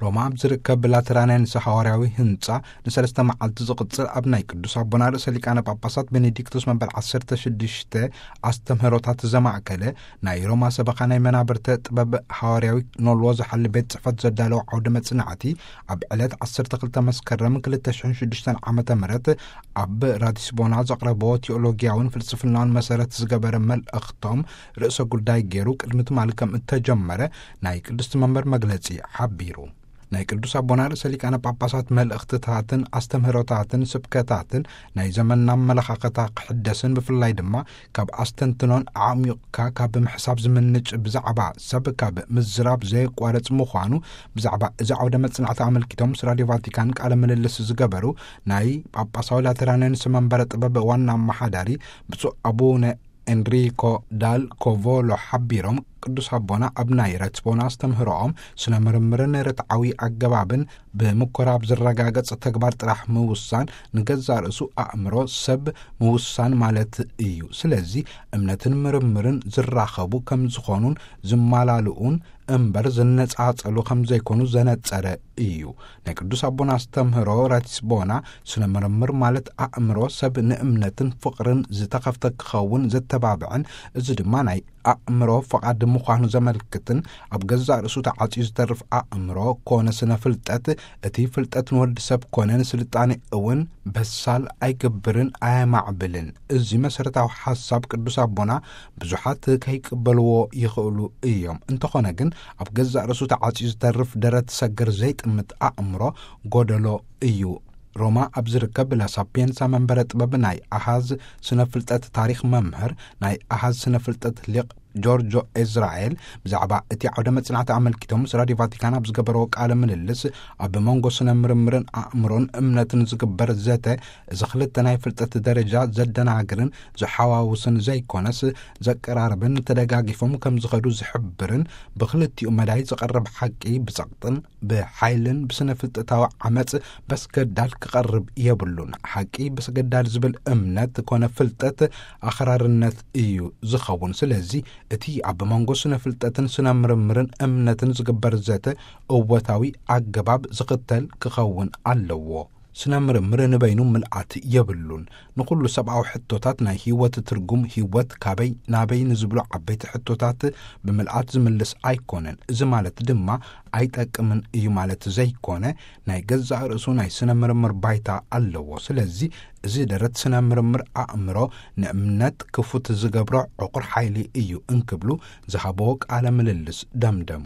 ሮማ ኣብ ዝርከብ ላተራንያንስ ሃዋርያዊ ህንጻ ንሰለስተ መዓልቲ ዝቕጽል ኣብ ናይ ቅዱስ ኣቦና ርእሰ ሊቃነ ጳጳሳት ቤኔዲክቶስ መበል ዓሰርተ ሽዱሽተ ኣስተምህሮታት ዘማእከለ ናይ ሮማ ሰበኻ ናይ መናብርተ ጥበብ ሃዋርያዊ ኖልዎ ዝሓሊ ቤት ጽሕፈት ዘዳለወ ዓውደ መጽናዕቲ ኣብ ዕለት ዓሰርተ ክልተ መስከረም ክልተ ሽሕን ሽዱሽተን ዓመተ ምህረት ኣብ ራዲስቦና ዘቕረብዎ ቲኦሎጊያውን ፍልስፍናውን መሰረት ዝገበረ መልእኽቶም ርእሰ ጉዳይ ገይሩ ቅድሚ ትማሊ ከም እተጀመረ ናይ ቅድስቲ መንበር መግለጺ ሓቢሩ። ናይ ቅዱስ ኣቦና ርእሰ ሊቃነ ጳጳሳት መልእኽትታትን ኣስተምህሮታትን ስብከታትን ናይ ዘመንና ኣመለኻኸታ ክሕደስን ብፍላይ ድማ ካብ ኣስተንትኖን ኣዕሚቕካ ካብ ምሕሳብ ዝምንጭ ብዛዕባ ሰብ ካብ ምዝራብ ዘየቋረጽ ምዃኑ ብዛዕባ እዚ ዓውደ መጽናዕቲ ኣመልኪቶም ምስ ራድዮ ቫቲካን ቃለ ምልልስ ዝገበሩ ናይ ጳጳሳዊ ላተራንያንስ መንበረ ጥበብ ዋና ኣመሓዳሪ ብፁዕ ኣቡነ ኤንሪኮ ዳል ኮቮሎ ሓቢሮም፣ ቅዱስ ኣቦና ኣብ ናይ ረትቦና ኣስተምህሮኦም ስነ ምርምርን ርትዓዊ ኣገባብን ብምኮራብ ዝረጋገጽ ተግባር ጥራሕ ምውሳን ንገዛእ ርእሱ ኣእምሮ ሰብ ምውሳን ማለት እዩ። ስለዚ እምነትን ምርምርን ዝራኸቡ ከም ዝኾኑን ዝማላልኡን እምበር ዝነጻጸሉ ከም ዘይኮኑ ዘነጸረ እዩ። ናይ ቅዱስ ኣቦና ኣስተምህሮ ራቲስቦና ስነ ምርምር ማለት ኣእምሮ ሰብ ንእምነትን ፍቕርን ዝተኸፍተ ክኸውን ዘተባብዕን፣ እዚ ድማ ናይ ኣእምሮ ፈቓድ ምዃኑ ዘመልክትን ኣብ ገዛእ ርእሱ ተዓጽዩ ዝተርፍ ኣእምሮ ኮነ ስነ ፍልጠት፣ እቲ ፍልጠት ንወዲ ሰብ ኮነ ንስልጣኔ እውን በሳል ኣይገብርን ኣየማዕብልን። እዚ መሰረታዊ ሓሳብ ቅዱስ ኣቦና ብዙሓት ከይቅበልዎ ይኽእሉ እዮም። እንተኾነ ግን ኣብ ገዛእ ርእሱ ተዓጽዩ ዝተርፍ ደረት ሰገር ዘይጥምት ኣእምሮ ጎደሎ እዩ። ሮማ ኣብ ዝርከብ ላሳፒየንሳ መንበረ ጥበብ ናይ ኣሃዝ ስነ ፍልጠት ታሪኽ መምህር ናይ ኣሃዝ ስነ ፍልጠት ሊቕ ጆርጆ ኤዝራኤል ብዛዕባ እቲ ዓውደ መጽናዕቲ ኣመልኪቶም ምስ ራድዮ ቫቲካን ኣብ ዝገበረዎ ቃለ ምልልስ፣ ኣብ መንጎ ስነ ምርምርን ኣእምሮን እምነትን ዝግበር ዘተ እዚ ክልተ ናይ ፍልጠት ደረጃ ዘደናግርን ዝሓዋውስን ዘይኮነስ ዘቀራርብን ተደጋጊፎም ከም ዝኸዱ ዝሕብርን ብክልቲኡ መዳይ ዝቐርብ ሓቂ ብጸቕጥን ብሓይልን ብስነ ፍልጠታዊ ዓመጽ በስገዳል ክቐርብ የብሉን። ሓቂ በስገዳል ዝብል እምነት ኮነ ፍልጠት ኣኽራርነት እዩ ዝኸውን። ስለዚ እቲ ኣብ መንጎ ስነ ፍልጠትን ስነ ምርምርን እምነትን ዝግበር ዘተ እወታዊ ኣገባብ ዝኽተል ክኸውን ኣለዎ። ስነ ምርምር ንበይኑ ምልኣት የብሉን። ንኹሉ ሰብኣዊ ሕቶታት ናይ ህይወት ትርጉም፣ ህይወት ካበይ ናበይ ንዝብሉ ዓበይቲ ሕቶታት ብምልኣት ዝምልስ ኣይኮነን። እዚ ማለት ድማ ኣይጠቅምን እዩ ማለት ዘይኮነ፣ ናይ ገዛእ ርእሱ ናይ ስነ ምርምር ባይታ ኣለዎ። ስለዚ እዚ ደረት ስነ ምርምር ኣእምሮ ንእምነት ክፉት ዝገብሮ ዕቑር ሓይሊ እዩ እንክብሉ ዝሃብዎ ቃለ ምልልስ ደምደሙ።